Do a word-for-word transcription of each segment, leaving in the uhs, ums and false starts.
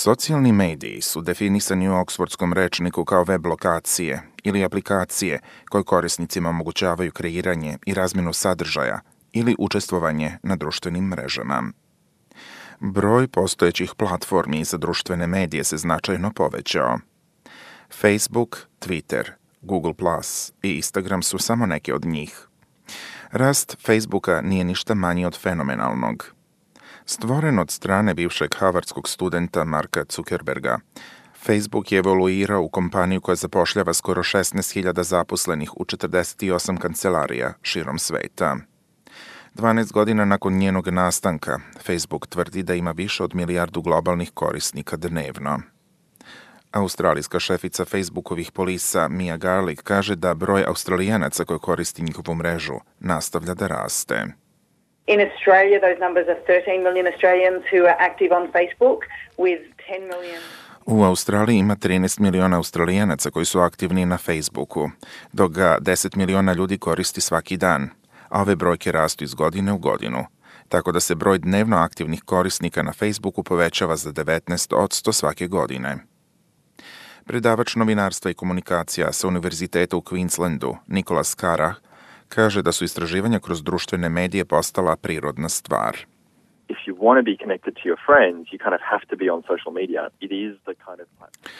Socijalni mediji su definisani u Oksfordskom rečniku kao web lokacije ili aplikacije koje korisnicima omogućavaju kreiranje i razmjenu sadržaja ili učestvovanje na društvenim mrežama. Broj postojećih platformi za društvene medije se značajno povećao. Facebook, Twitter, Google plus i Instagram su samo neke od njih. Rast Facebooka nije ništa manji od fenomenalnog. Stvoren od strane bivšeg harvardskog studenta Marka Zuckerberga, Facebook je evoluirao u kompaniju koja zapošljava skoro šesnaest hiljada zaposlenih u četrdeset osam kancelarija širom sveta. dvanaest godina nakon njenog nastanka, Facebook tvrdi da ima više od milijardu globalnih korisnika dnevno. Australijska šefica Facebookovih polisa Mia Garlick kaže da broj Australijanaca koji koristi njihovu mrežu nastavlja da raste. In Australia, those numbers are thirteen million Australians who are active on Facebook, with ten million... U Australiji ima trinaest miliona Australijanaca koji su aktivni na Facebooku, dok ga deset miliona ljudi koristi svaki dan, a ove brojke rastu iz godine u godinu, tako da se broj dnevno aktivnih korisnika na Facebooku povećava za devetnaest posto svake godine. Predavač novinarstva i komunikacija sa Univerziteta u Queenslandu, Nicholas Carah, kaže da su istraživanja kroz društvene medije postala prirodna stvar. If you want to be connected to your friends, you kind of have to be on social media. It is the kind of platform.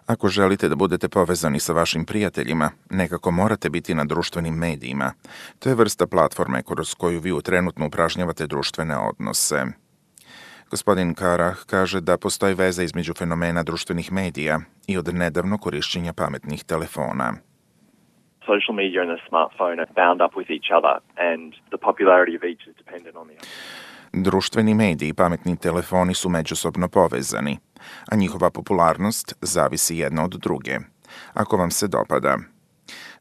Ako želite da budete povezani sa vašim prijateljima, nekako morate biti na društvenim medijima. To je vrsta platforme kroz koju vi trenutno upražnjavate društvene odnose. Gospodin Carah kaže da postoji veza između fenomena društvenih medija i od nedavno korišćenja pametnih telefona. Social media and the smartphone are bound up with each other, and the popularity of each is dependent on the other. Društveni mediji i pametni telefoni su međusobno povezani, a njihova popularnost zavisi jedna od druge, ako vam se dopada.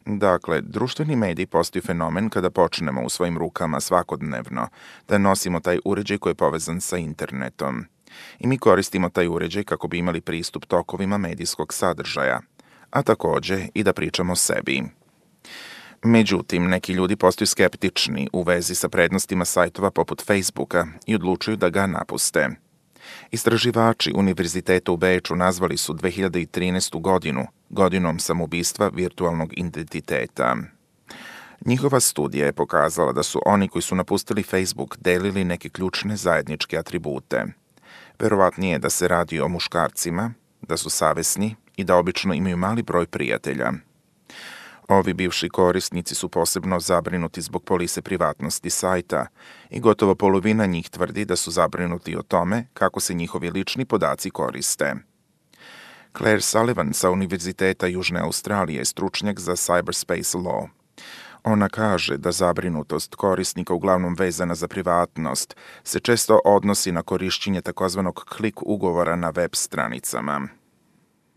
Dakle, društveni mediji postaju fenomen kada počnemo u svojim rukama svakodnevno da nosimo taj uređaj koji je povezan sa internetom. I mi koristimo taj uređaj kako bi imali pristup tokovima medijskog sadržaja, a takođe i da pričamo o sebi. Međutim, neki ljudi postaju skeptični u vezi sa prednostima sajtova poput Facebooka i odlučuju da ga napuste. Istraživači Univerziteta u Beču nazvali su dve hiljade trinaestu godinu godinom samoubistva virtualnog identiteta. Njihova studija je pokazala da su oni koji su napustili Facebook delili neke ključne zajedničke atribute. Verovatnije je da se radi o muškarcima, da su savesni i da obično imaju mali broj prijatelja. Ovi bivši korisnici su posebno zabrinuti zbog polise privatnosti sajta i gotovo polovina njih tvrdi da su zabrinuti o tome kako se njihovi lični podaci koriste. Claire Sullivan sa Univerziteta Južne Australije je stručnjak za cyberspace law. Ona kaže da zabrinutost korisnika, uglavnom vezana za privatnost, se često odnosi na korišćenje takozvanog klik ugovora na web stranicama.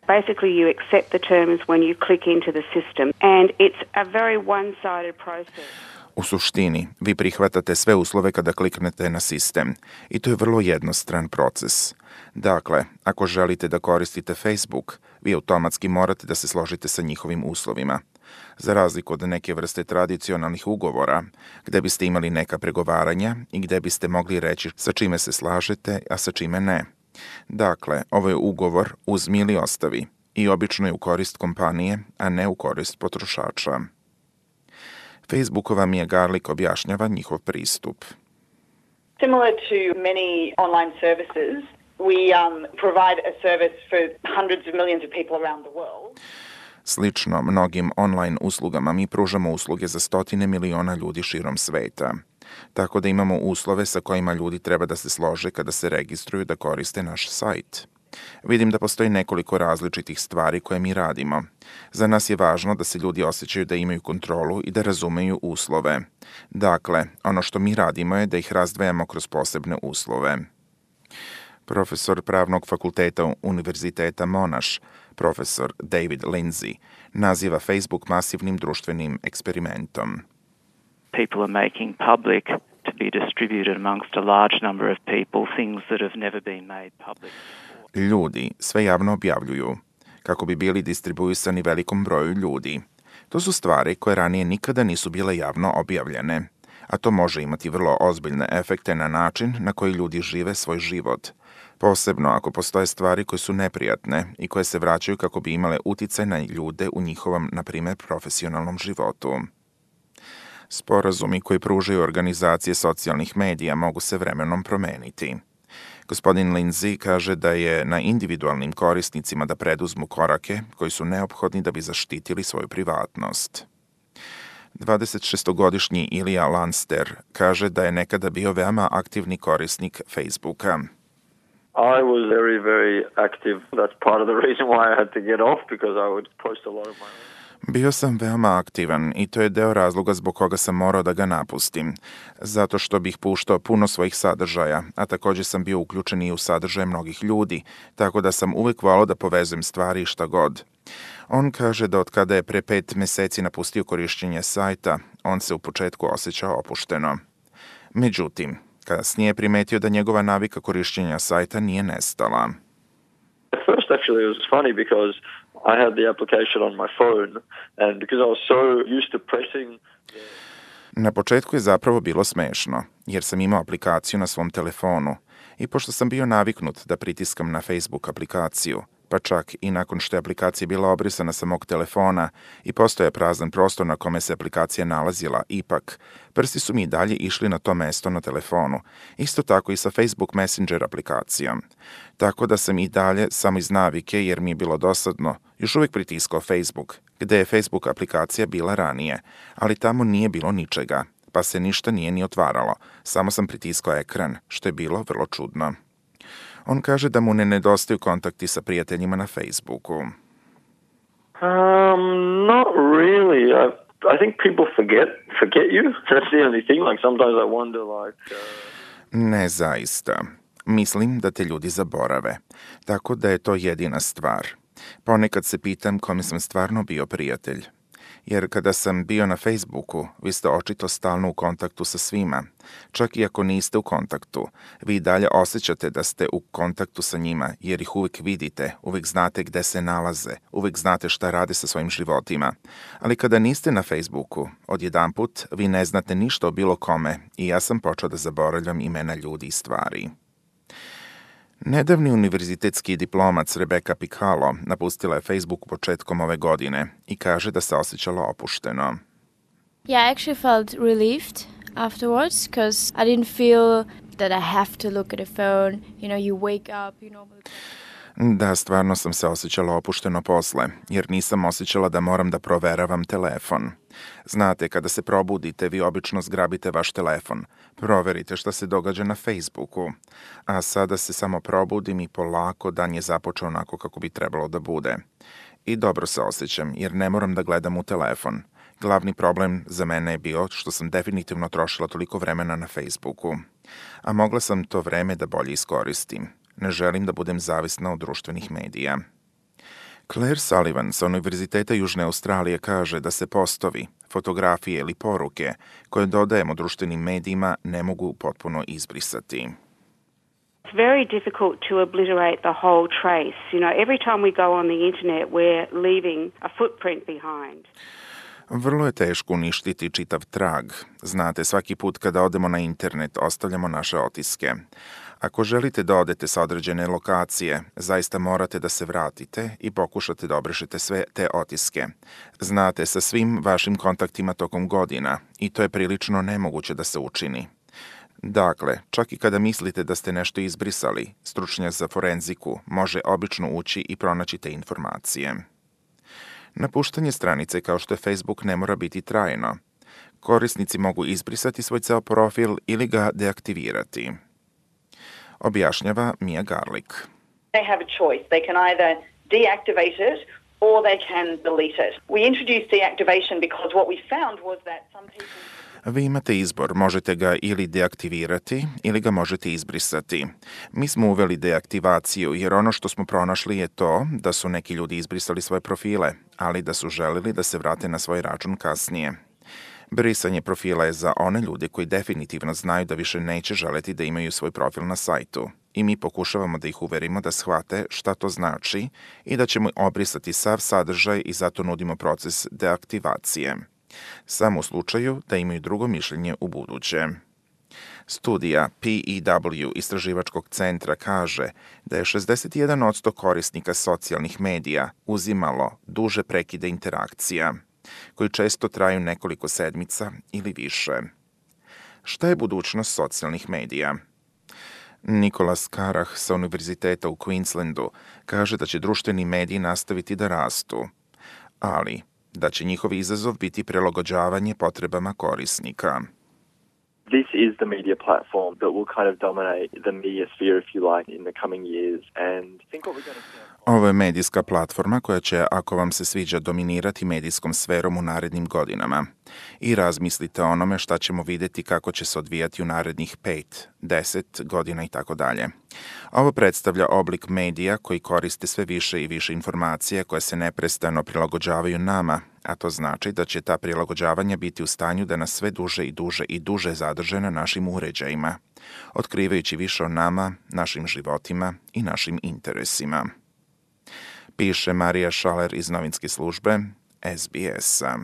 Basically, you accept the terms when you click into the system, and it's a very one-sided process. U suštini, vi prihvatate sve uslove kada kliknete na sistem i to je vrlo jednostran proces. Dakle, ako želite da koristite Facebook, vi automatski morate da se složite sa njihovim uslovima. Za razliku od neke vrste tradicionalnih ugovora, gde biste imali neka pregovaranja i gde biste mogli reći sa čime se slažete, a sa čime ne. Dakle, ovo je ugovor uzmi ili ostavi i obično je u korist kompanije, a ne u korist potrošača. Facebookova Mia Garlick objašnjava njihov pristup. Similar to many online services, we um, provide a service for hundreds of millions of people around the world. Slično mnogim online uslugama mi pružamo usluge za stotine miliona ljudi širom sveta. Tako da imamo uslove sa kojima ljudi treba da se slože kada se registruju da koriste naš sajt. Vidim da postoji nekoliko različitih stvari koje mi radimo. Za nas je važno da se ljudi osjećaju da imaju kontrolu i da razumeju uslove. Dakle, ono što mi radimo je da ih razdvajamo kroz posebne uslove. Profesor Pravnog fakulteta Univerziteta Monash, profesor David Lindsay, naziva Facebook masivnim društvenim eksperimentom. People are making public to be distributed amongst a large number of people, things that have never been made public before. Ljudi sve javno objavljuju, kako bi bili distribuisani velikom broju ljudi. To su stvari koje ranije nikada nisu bile javno objavljene, a to može imati vrlo ozbiljne efekte na način na koji ljudi žive svoj život. Posebno ako postoje stvari koje su neprijatne i koje se vraćaju kako bi imale uticaj na ljude u njihovom, na primjer, profesionalnom životu. Sporazumi koji pružaju organizacije socijalnih medija mogu se vremenom promeniti. Gospodin Lindsay kaže da je na individualnim korisnicima da preduzmu korake koji su neophodni da bi zaštitili svoju privatnost. dvadesetšestogodišnji Ilija Lanster kaže da je nekada bio veoma aktivni korisnik Facebooka. I was very, very active. That's part of the reason why I had to get off, because I would post a lot of my own. Bio sam veoma aktivan i to je deo razloga zbog koga sam morao da ga napustim, zato što bih puštao puno svojih sadržaja, a također sam bio uključen i u sadržaje mnogih ljudi, tako da sam uvek volao da povezujem stvari i šta god. On kaže da od kada je pre pet meseci napustio korišćenje sajta, on se u početku osjećao opušteno. Međutim, kasnije je primetio da njegova navika korišćenja sajta nije nestala. At first, actually, it was funny because I had the application on my phone, and because I was so used to pressing the... Na početku je zapravo bilo smešno, jer sam imao aplikaciju na svom telefonu i pošto sam bio naviknut da pritiskam na Facebook aplikaciju, pa čak i nakon što je aplikacija bila obrisana sa mog telefona i postoje prazan prostor na kome se aplikacija nalazila, ipak, prsti su mi i dalje išli na to mesto na telefonu, isto tako i sa Facebook Messenger aplikacijom. Tako da sam i dalje, samo iz navike, jer mi je bilo dosadno, još uvijek pritiskao Facebook, gde je Facebook aplikacija bila ranije, ali tamo nije bilo ničega, pa se ništa nije ni otvaralo, samo sam pritiskao ekran, što je bilo vrlo čudno. On kaže da mu ne nedostaju kontakti sa prijateljima na Facebooku. Um, not really. I, I think people forget forget you. That's the only thing. Like sometimes I wonder, like. Uh... Ne zaista. Mislim da te ljudi zaborave. Tako da je to jedina stvar. Ponekad se pitam kome sam stvarno bio prijatelj. Jer kada sam bio na Facebooku, vi ste očito stalno u kontaktu sa svima. Čak i ako niste u kontaktu, vi dalje osjećate da ste u kontaktu sa njima, jer ih uvijek vidite, uvijek znate gde se nalaze, uvijek znate šta rade sa svojim životima. Ali kada niste na Facebooku, odjedanput vi ne znate ništa o bilo kome i ja sam počeo da zaboravljam imena ljudi i stvari. Nedavni univerzitetski diplomac Rebecca Piccolo napustila je Facebook početkom ove godine i kaže da se osjećala opušteno. Yeah, I actually felt relieved afterwards because I didn't feel that I have to look at the phone. You know, you wake up, you normally... Da, stvarno sam se osjećala opušteno posle, jer nisam osjećala da moram da proveravam telefon. Znate, kada se probudite, vi obično zgrabite vaš telefon, proverite šta se događa na Facebooku, a sada se samo probudim i polako dan je započeo onako kako bi trebalo da bude. I dobro se osjećam, jer ne moram da gledam u telefon. Glavni problem za mene je bio što sam definitivno trošila toliko vremena na Facebooku, a mogla sam to vreme da bolje iskoristim. Ne želim da budem zavisna od društvenih medija. Claire Sullivan sa Univerziteta Južne Australije kaže da se postovi, fotografije ili poruke koje dodajemo društvenim medijima ne mogu potpuno izbrisati. It's very difficult to obliterate the whole trace. You know, every time we go on the internet, we're leaving a footprint behind. Vrlo je teško uništiti čitav trag. Znate, svaki put kada odemo na internet, ostavljamo naše otiske. Ako želite da odete sa određene lokacije, zaista morate da se vratite i pokušate da obrišete sve te otiske. Znate, sa svim vašim kontaktima tokom godina i to je prilično nemoguće da se učini. Dakle, čak i kada mislite da ste nešto izbrisali, stručnjak za forenziku može obično ući i pronaći te informacije. Napuštanje stranice kao što je Facebook ne mora biti trajno. Korisnici mogu izbrisati svoj ceo profil ili ga deaktivirati. Objašnjava Mia Garlick. They have a choice. They can either deactivate it or they can delete it. We introduced deactivation because what we found was that some people... Vi imate izbor, možete ga ili deaktivirati ili ga možete izbrisati. Mi smo uveli deaktivaciju jer ono što smo pronašli je to da su neki ljudi izbrisali svoje profile, ali da su želeli da se vrate na svoj račun kasnije. Brisanje profila je za one ljude koji definitivno znaju da više neće želeti da imaju svoj profil na sajtu i mi pokušavamo da ih uverimo da shvate šta to znači i da ćemo obrisati sav sadržaj i zato nudimo proces deaktivacije. Samo u slučaju da imaju drugo mišljenje u buduće. Studija P E W istraživačkog centra kaže da je šezdeset jedan posto korisnika socijalnih medija uzimalo duže prekide interakcija, koji često traju nekoliko sedmica ili više. Šta je budućnost socijalnih medija? Nikolas Karah sa Univerziteta u Queenslandu kaže da će društveni mediji nastaviti da rastu, ali da će njihov izazov biti prilagođavanje potrebama korisnika. This is the media platform that will kind of dominate the media sphere, if you like, in the coming years. And I think what we're going to see... Ovo je medijska platforma koja će, ako vam se sviđa, dominirati medijskom sferom u narednim godinama. I razmislite o onome šta ćemo vidjeti kako će se odvijati u narednih pet, deset godina i tako dalje. Ovo predstavlja oblik medija koji koriste sve više i više informacija koje se neprestano prilagođavaju nama, a to znači da će ta prilagođavanja biti u stanju da nas sve duže i duže i duže zadrže na našim uređajima, otkrivajući više o nama, našim životima i našim interesima. Piše Marija Šaler iz novinske službe S B S-a.